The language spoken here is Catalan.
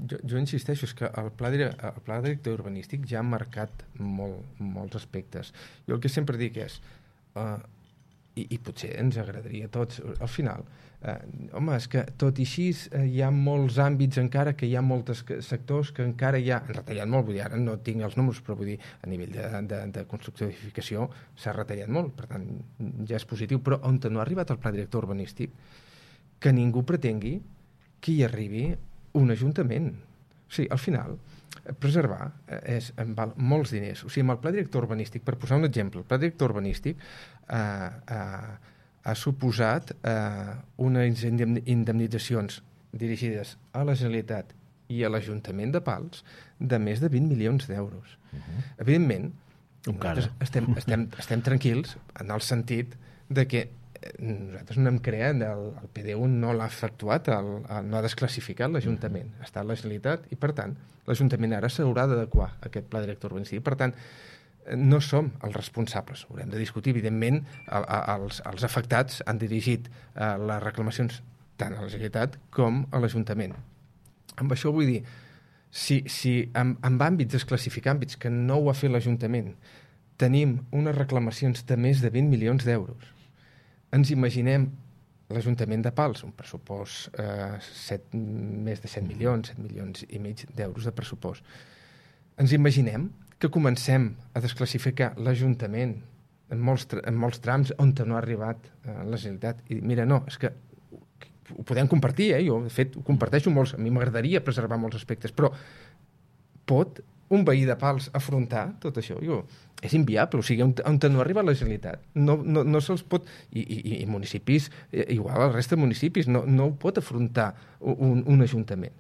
Jo insisteixo, és que el pla director urbanístic ja ha marcat molts aspectes. Jo el que sempre dic és, i potser ens agradaria a tots, al final, home, és que tot i així hi ha molts àmbits encara, que hi ha molts sectors que encara hi ha, han retallat molt, vull dir, ara no tinc els números, però vull dir, a nivell de construcció d'edificació s'ha retallat molt, per tant, ja és positiu, però on no ha arribat el pla director urbanístic, que ningú pretengui que hi arribi un ajuntament. O sigui, al final, preservar em val molts diners. O sigui, amb el pla director urbanístic, per posar un exemple, el pla director urbanístic ha suposat unes indemnitzacions dirigides a la Generalitat i a l'Ajuntament de Pals de més de 20 milions d'euros. Evidentment, estem tranquils en el sentit de que nosaltres no hem creat, el PDU no l'ha efectuat, no ha desclassificat l'Ajuntament, està a la Generalitat i per tant l'Ajuntament ara s'haurà d'adequar a aquest pla director urbanístic. Per tant, no som els responsables, haurem de discutir, evidentment els afectats han dirigit les reclamacions tant a la Generalitat com a l'Ajuntament. Amb això vull dir, si en àmbits, desclassificar àmbits que no ho ha fet l'Ajuntament, tenim unes reclamacions de més de 20 milions d'euros, ens imaginem l'Ajuntament de Pals, un pressupost més de 7 milions i mig d'euros de pressupost. Ens imaginem que comencem a desclassificar l'Ajuntament en molts trams on no ha arribat la Generalitat. I mira, no, és que ho podem compartir, jo de fet ho comparteixo molts, a mi m'agradaria preservar molts aspectes, però pot un veí de Pals afrontar tot això? És inviable, o sigui, on no arriba la Generalitat. No se'ls pot... I municipis, igual el resta de municipis, no ho pot afrontar un ajuntament.